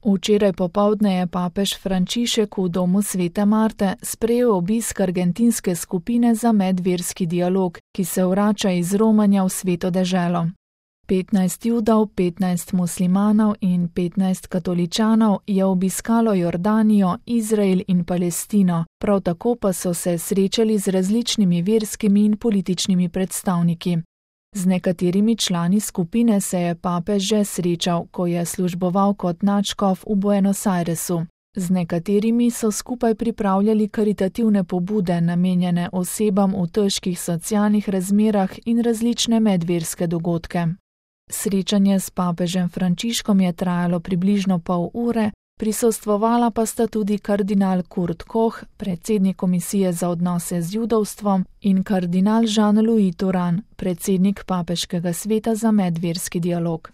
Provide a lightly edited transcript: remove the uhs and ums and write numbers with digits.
Včeraj popoldne je papež Frančišek v domu Svete Marte sprejel obisk argentinske skupine za medverski dialog, ki se vrača iz romanja v Sveto deželo. 15 Judov, 15 muslimanov in 15 katoličanov je obiskalo Jordanijo, Izrael in Palestino, prav tako pa so se srečali z različnimi verskimi in političnimi predstavniki. Z nekaterimi člani skupine se je papež že srečal, ko je služboval kot nadškof v Buenos Airesu. Z nekaterimi so skupaj pripravljali karitativne pobude, namenjene osebam v težkih socialnih razmerah in različne medverske dogodke. Srečanje s papežem Frančiškom je trajalo približno pol ure, prisostvovala pa sta tudi kardinal Kurt Koch, predsednik Komisije za odnose z judovstvom, in kardinal Jean-Louis Thuran, predsednik Papeškega sveta za medverski dialog.